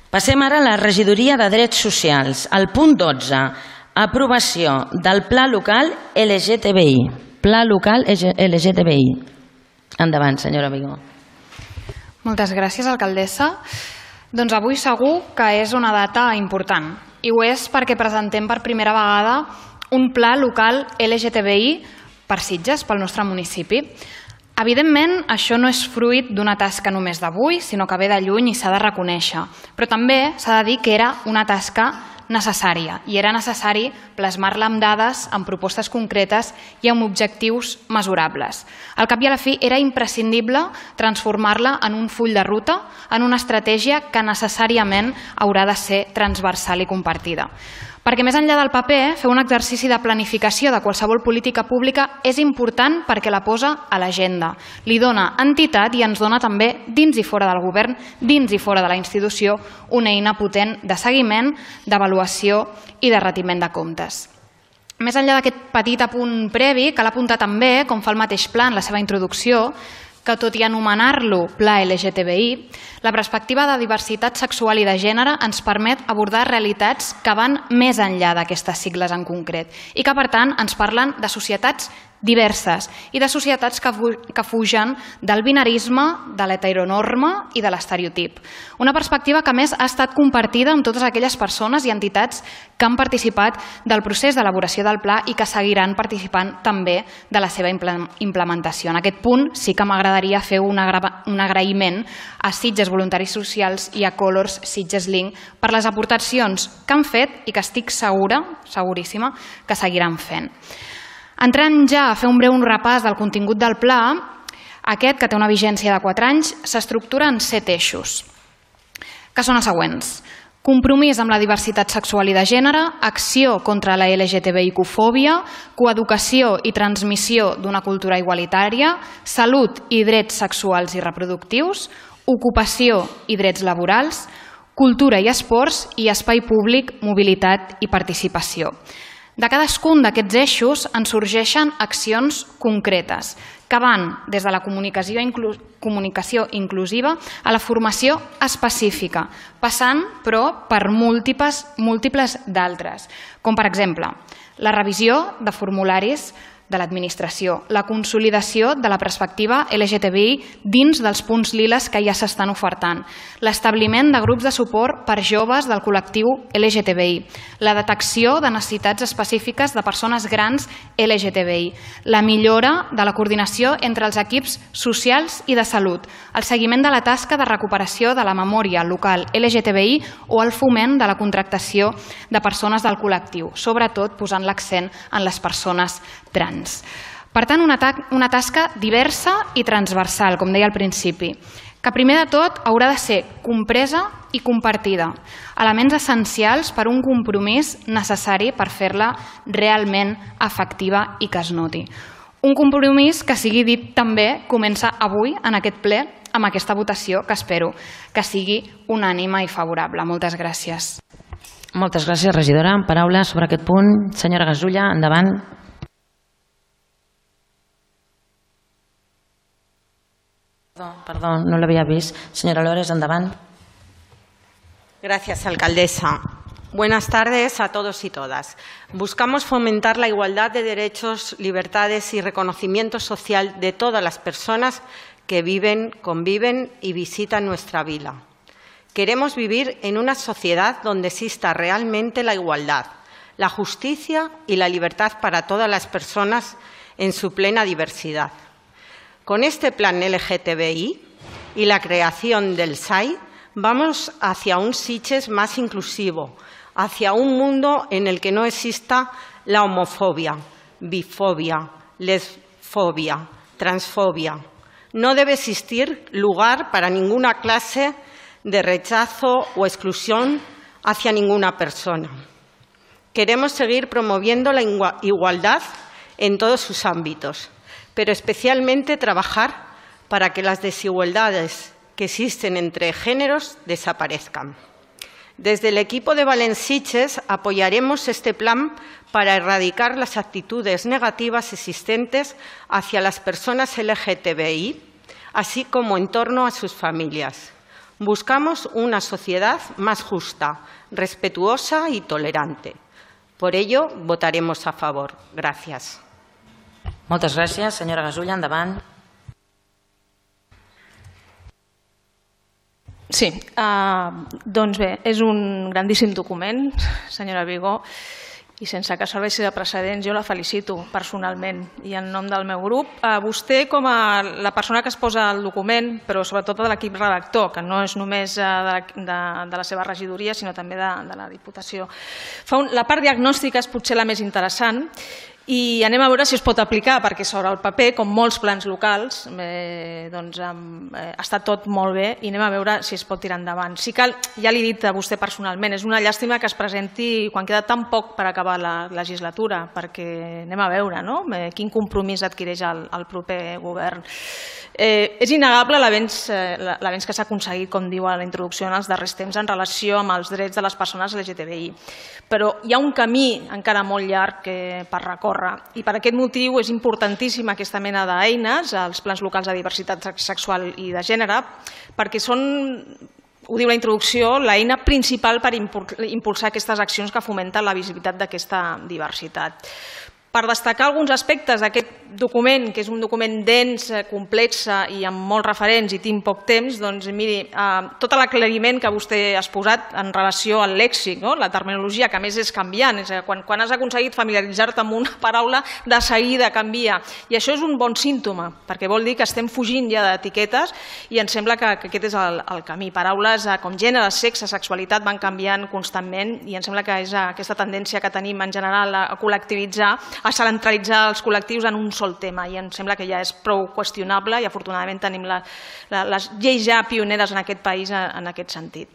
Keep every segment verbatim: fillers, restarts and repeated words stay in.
Passem ara a la regidoria de Drets Socials. El punt dotze, aprovació del Pla Local L G T B I. Pla Local L G T B I. Endavant, senyora Vigó. Moltes gràcies, alcaldessa. Doncs avui segur que és una data important. I ho és perquè presentem per primera vegada un Pla Local L G T B I per Sitges, pel nostre municipi. Evidentment, això no és fruit d'una tasca només d'avui, sinó que ve de lluny i s'ha de reconèixer. Però també s'ha de dir que era una tasca necessària i era necessari plasmar-la amb dades, amb propostes concretes i amb objectius mesurables. Al cap i a la fi era imprescindible transformar-la en un full de ruta, en una estratègia que necessàriament haurà de ser transversal i compartida. Perquè més enllà del paper, fer un exercici de planificació de qualsevol política pública és important perquè la posa a l'agenda, li dona entitat i ens dona també, dins i fora del govern, dins i fora de la institució, una eina potent de seguiment, d'avaluació i de retiment de comptes. Més enllà d'aquest petit apunt previ, cal apuntar també, com fa el mateix pla en la seva introducció, que tot i anomenar-lo Pla L G T B I, la perspectiva de diversitat sexual i de gènere ens permet abordar realitats que van més enllà d'aquestes sigles en concret i que, per tant, ens parlen de societats diverses i de societats que fugen del binarisme, de l'heteronorma i de l'estereotip. Una perspectiva que, a més, ha estat compartida amb totes aquelles persones i entitats que han participat del procés d'elaboració del pla i que seguiran participant també de la seva implementació. En aquest punt sí que m'agradaria fer un agraïment a Sitges Voluntaris Socials i a Colors Sitges Link per les aportacions que han fet i que estic segura, seguríssima, que seguiran fent. Entrant ja a fer un breu repàs del contingut del pla, aquest, que té una vigència de quatre anys, s'estructura en set eixos, que són els següents. Compromís amb la diversitat sexual i de gènere, acció contra la L G T B I cofòbia, coeducació i transmissió d'una cultura igualitària, salut i drets sexuals i reproductius, ocupació i drets laborals, cultura i esports i espai públic, mobilitat i participació. De cadascun d'aquests eixos en sorgeixen accions concretes que van des de la comunicació, inclu comunicació inclusiva a la formació específica, passant, però, per múltiples, múltiples d'altres, com per exemple la revisió de formularis de l'administració, la consolidació de la perspectiva L G T B I dins dels punts liles que ja s'estan ofertant, l'establiment de grups de suport per joves del col·lectiu L G T B I, la detecció de necessitats específiques de persones grans L G T B I, la millora de la coordinació entre els equips socials i de salut, el seguiment de la tasca de recuperació de la memòria local L G T B I o el foment de la contractació de persones del col·lectiu, sobretot posant l'accent en les persones trans. Per tant, una, una tasca diversa i transversal, com deia al principi, que primer de tot haurà de ser compresa i compartida, elements essencials per un compromís necessari per fer-la realment efectiva i que es noti. Un compromís que, sigui dit també, comença avui en aquest ple amb aquesta votació que espero que sigui unànime i favorable. Moltes gràcies. Moltes gràcies, regidora. Paraules sobre aquest punt. Senyora Gasulla, endavant. Perdón, no lo había visto. Señora Lores, endavant. Gracias, alcaldesa. Buenas tardes a todos y todas. Buscamos fomentar la igualdad de derechos, libertades y reconocimiento social de todas las personas que viven, conviven y visitan nuestra vila. Queremos vivir en una sociedad donde exista realmente la igualdad, la justicia y la libertad para todas las personas en su plena diversidad. Con este plan L G T B I y la creación del S A I vamos hacia un Sitges más inclusivo, hacia un mundo en el que no exista la homofobia, bifobia, lesfobia, transfobia. No debe existir lugar para ninguna clase de rechazo o exclusión hacia ninguna persona. Queremos seguir promoviendo la igualdad en todos sus ámbitos, pero especialmente trabajar para que las desigualdades que existen entre géneros desaparezcan. Desde el equipo de Valenciches apoyaremos este plan para erradicar las actitudes negativas existentes hacia las personas L G T B I, así como en torno a sus familias. Buscamos una sociedad más justa, respetuosa y tolerante. Por ello, votaremos a favor. Gràcies. Moltes gràcies. Senyora Gasulla, endavant. Sí, doncs bé, és un grandíssim document, senyora Vigó, i sense que serveixi de precedents jo la felicito personalment i en nom del meu grup. Vostè, com a la persona que es posa al document, però sobretot de l'equip redactor, que no és només de la seva regidoria sinó també de la Diputació, la part diagnòstica és potser la més interessant i anem a veure si es pot aplicar, perquè sobre el paper, com molts plans locals, està tot molt bé i anem a veure si es pot tirar endavant. Si cal, ja l'he dit a vostè personalment, és una llàstima que es presenti quan queda tan poc per acabar la legislatura, perquè anem a veure quin compromís adquireix el proper govern. És innegable l'avenç que s'ha aconseguit, com diu a la introducció, en els darrers temps en relació amb els drets de les persones L G T B I, però hi ha un camí encara molt llarg per recórrer i per aquest motiu és importantíssima aquesta mena d'eines, els plans locals de diversitat sexual i de gènere, perquè són, ho diu la introducció, l'eina principal per impulsar aquestes accions que fomenten la visibilitat d'aquesta diversitat. Per destacar alguns aspectes d'aquest document, que és un document dens, complex i amb molts referents i tinc poc temps, doncs miri, tot l'aclariment que vostè ha exposat en relació al lèxic, la terminologia, que a més és canviant, quan has aconseguit familiaritzar-te amb una paraula, de seguida canvia. I això és un bon símptoma, perquè vol dir que estem fugint ja d'etiquetes i em sembla que aquest és el camí. Paraules com gènere, sexe, sexualitat van canviant constantment i em sembla que és aquesta tendència que tenim en general a col·lectivitzar, a centralitzar els col·lectius en un sol tema i em sembla que ja és prou qüestionable i afortunadament tenim les lleis ja pioneres en aquest país en aquest sentit.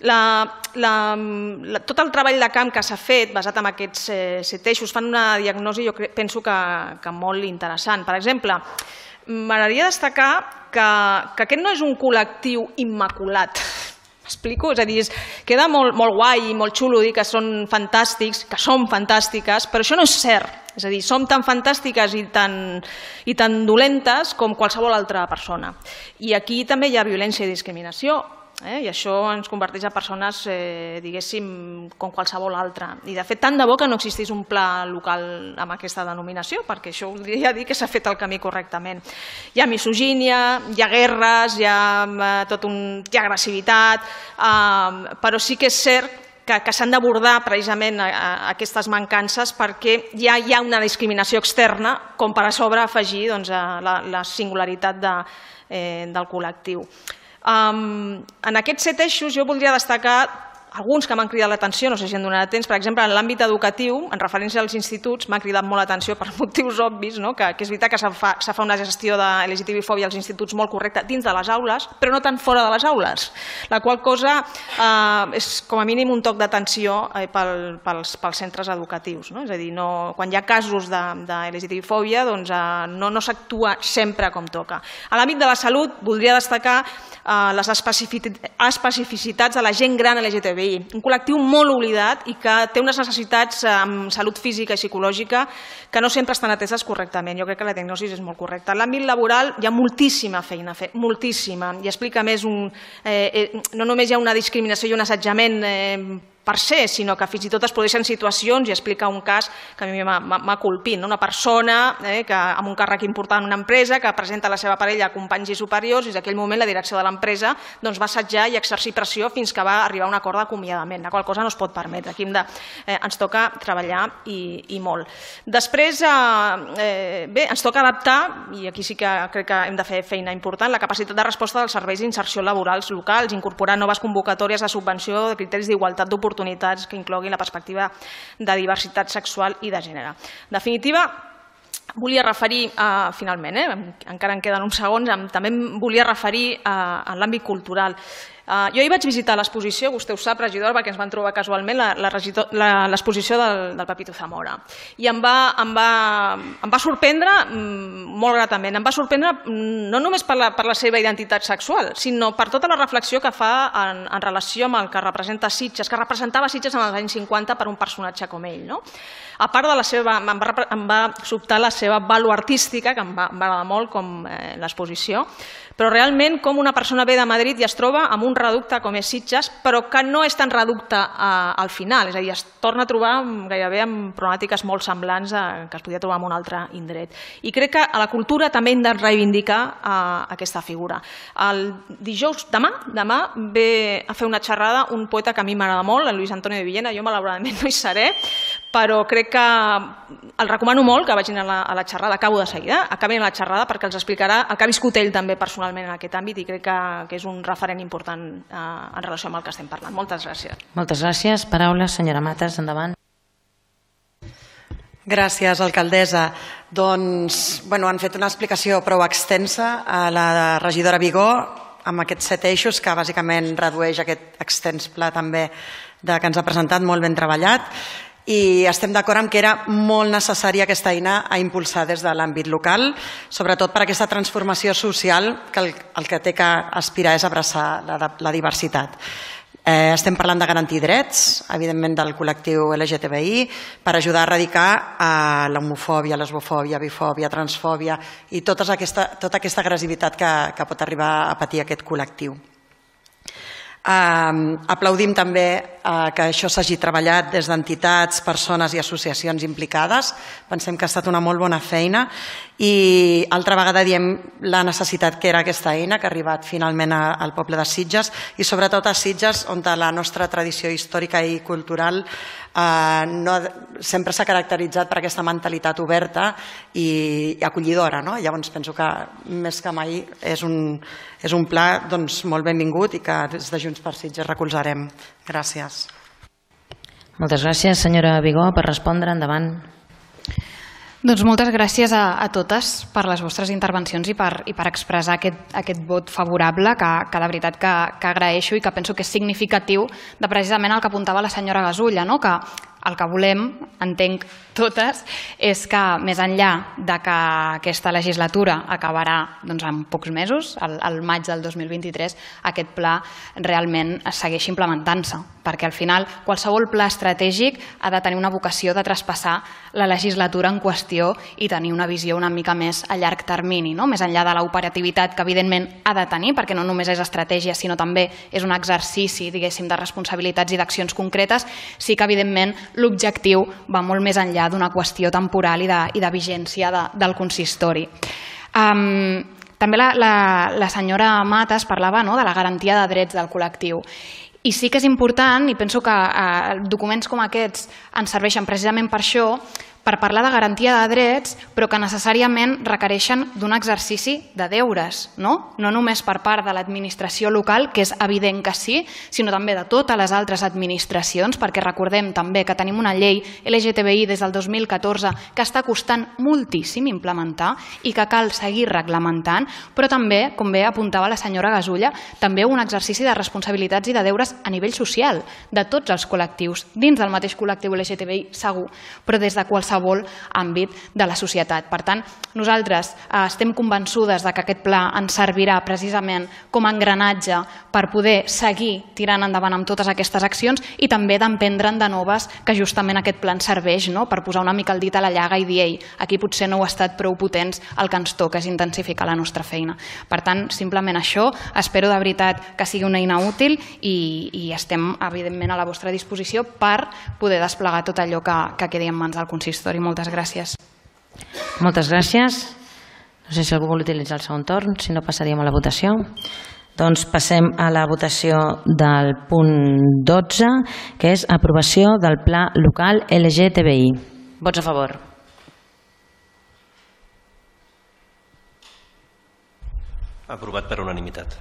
Tot el treball de camp que s'ha fet basat en aquests set eixos fan una diagnosi jo penso que molt interessant. Per exemple, m'agradaria destacar que aquest no és un col·lectiu immaculat. M'explico? És a dir, queda molt guai i molt xulo dir que són fantàstics, que som fantàstiques, però això no és cert. És a dir, som tan fantàstiques i tan dolentes com qualsevol altra persona. I aquí també hi ha violència i discriminació, i això ens converteix en persones, diguéssim, com qualsevol altra. I de fet, tant de bo que no existís un pla local amb aquesta denominació, perquè això voldria dir que s'ha fet el camí correctament. Hi ha misogínia, hi ha guerres, hi ha agressivitat, però sí que és cert que s'han d'abordar precisament aquestes mancances perquè ja hi ha una discriminació externa com per a sobre afegir la singularitat del col·lectiu. En aquests set eixos jo voldria destacar alguns que m'han cridat l'atenció, no sé si em donarà temps, per exemple, en l'àmbit educatiu, en referència als instituts, m'ha cridat molt l'atenció per motius obvis, que és veritat que se fa una gestió de L G T B I fòbia als instituts molt correcta dins de les aules, però no tant fora de les aules, la qual cosa és com a mínim un toc d'atenció pels centres educatius. És a dir, quan hi ha casos de L G T B I fòbia no s'actua sempre com toca. A l'àmbit de la salut voldria destacar les especificitats de la gent gran L G T B I, un col·lectiu molt oblidat i que té unes necessitats en salut física i psicològica que no sempre estan ateses correctament. Jo crec que la diagnosi és molt correcta. En l'àmbit laboral hi ha moltíssima feina a fer, moltíssima, i explica més un... no només hi ha una discriminació i un assetjament per ser, sinó que fins i tot es produeixen situacions, i explica un cas que a mi m'ha colpit, una persona amb un càrrec important en una empresa que presenta la seva parella a companys i superiors i en aquell moment la direcció de l'empresa va assetjar i exercir pressió fins que va arribar a un acord d'acomiadament, la qual cosa no es pot permetre. Aquí ens toca treballar i molt. Després, bé, ens toca adaptar, i aquí sí que crec que hem de fer feina important, la capacitat de resposta dels serveis d'inserció laborals locals, incorporar noves convocatòries de subvenció de criteris d'igualtat d'oportunitats que incloguin la perspectiva de diversitat sexual i de gènere. En definitiva, volia referir, finalment, encara en queden uns segons, també em volia referir a l'àmbit cultural. Jo hi vaig visitar l'exposició, vostè ho sap, regidora, perquè ens van trobar casualment l'exposició del Pepito Zamora. I em va sorprendre molt gratament. Em va sorprendre no només per la seva identitat sexual, sinó per tota la reflexió que fa en relació amb el que representa Sitges, que representava Sitges en els anys cinquanta per un personatge com ell. A part de la seva... em va sobtar la seva vàlua artística, que em va agradar molt com l'exposició, però realment com una persona ve de Madrid i es troba amb un un reducte com és Sitges, però que no és tan reducte al final, és a dir, es torna a trobar gairebé amb problemàtiques molt semblants que es podia trobar en un altre indret. I crec que a la cultura també hem de reivindicar aquesta figura. El dijous, demà, demà ve a fer una xerrada un poeta que a mi m'agrada molt, el Luis Antonio de Villena, jo malauradament no hi seré, però crec que el recomano molt que vagin a la, a la xerrada, acabo de seguida, acabin a la xerrada perquè els explicarà el que ha viscut ell també personalment en aquest àmbit i crec que, que és un referent important eh, en relació amb el que estem parlant. Moltes gràcies. Moltes gràcies. Paraules, senyora Matas, endavant. Gràcies, alcaldessa. Doncs, bueno, han fet una explicació prou extensa a la regidora Vigó amb aquests set eixos que bàsicament redueix aquest extens pla també de, que ens ha presentat, molt ben treballat. I estem d'acord amb que era molt necessària aquesta eina a impulsar des de l'àmbit local, sobretot per aquesta transformació social que el, el que té que aspirar és abraçar la, la diversitat. Eh, estem parlant de garantir drets, evidentment del col·lectiu L G T B I, per ajudar a erradicar eh, l'homofòbia, lesbofòbia, bifòbia, transfòbia i tota aquesta, tota aquesta agressivitat que, que pot arribar a patir aquest col·lectiu. Uh, aplaudim també uh, que això s'hagi treballat des d'entitats, persones i associacions implicades. Pensem que ha estat una molt bona feina i altra vegada diem la necessitat que era aquesta eina que ha arribat finalment a, al poble de Sitges i sobretot a Sitges on la nostra tradició històrica i cultural uh, no, sempre s'ha caracteritzat per aquesta mentalitat oberta i, i acollidora, no? Llavors penso que més que mai és un, és un pla doncs, molt benvingut i que des de Junts per Sitges recolzarem. Gràcies. Moltes gràcies, senyora Vigó, per respondre. Endavant. Doncs moltes gràcies a, a totes per les vostres intervencions i per, i per expressar aquest, aquest vot favorable que, que de veritat que, que agraeixo i que penso que és significatiu de precisament el que apuntava la senyora Gasulla, no? Que el que volem, entenc totes, és que més enllà de que aquesta legislatura acabarà doncs, en pocs mesos, al, al maig del dos mil vint-i-tres, aquest pla realment segueixi implementant-se, perquè al final qualsevol pla estratègic ha de tenir una vocació de traspassar la legislatura en qüestió i tenir una visió una mica més a llarg termini, no? Més enllà de l'operativitat que evidentment ha de tenir, perquè no només és estratègia, sinó també és un exercici, diguéssim, de responsabilitats i d'accions concretes, sí que evidentment l'objectiu va molt més enllà d'una qüestió temporal i de, i de vigència de, del consistori. Um, també la, la, la senyora Matas parlava, no?, de la garantia de drets del col·lectiu. I sí que és important, i penso que eh, documents com aquests ens serveixen precisament per això, per parlar de garantia de drets, però que necessàriament requereixen d'un exercici de deures, no? No només per part de l'administració local, que és evident que sí, sinó també de totes les altres administracions, perquè recordem també que tenim una llei L G T B I des del dos mil catorze que està costant moltíssim implementar i que cal seguir reglamentant, però també, com bé apuntava la senyora Gasulla, també un exercici de responsabilitats i de deures a nivell social, de tots els col·lectius, dins del mateix col·lectiu L G T B I segur, però des de qualsevol àmbit de la societat. Per tant, nosaltres eh, estem convençudes de que aquest pla ens servirà precisament com a engranatge per poder seguir tirant endavant amb totes aquestes accions i també d'emprendre'n de noves que justament aquest pla ens serveix, no?, per posar una mica el dit a la llaga i dir, ei, aquí potser no heu estat prou potents, el que ens toca és intensificar la nostra feina. Per tant, simplement això, espero de veritat que sigui una eina útil i, i estem evidentment a la vostra disposició per poder desplegar tot allò que, que quedi en mans del consistori. Moltes gràcies. Moltes gràcies. No sé si algú vol utilitzar el segon torn, si no passaríem a la votació. Doncs passem a la votació del punt dotze, que és aprovació del Pla Local L G T B I. Vots a favor. Aprovat per unanimitat.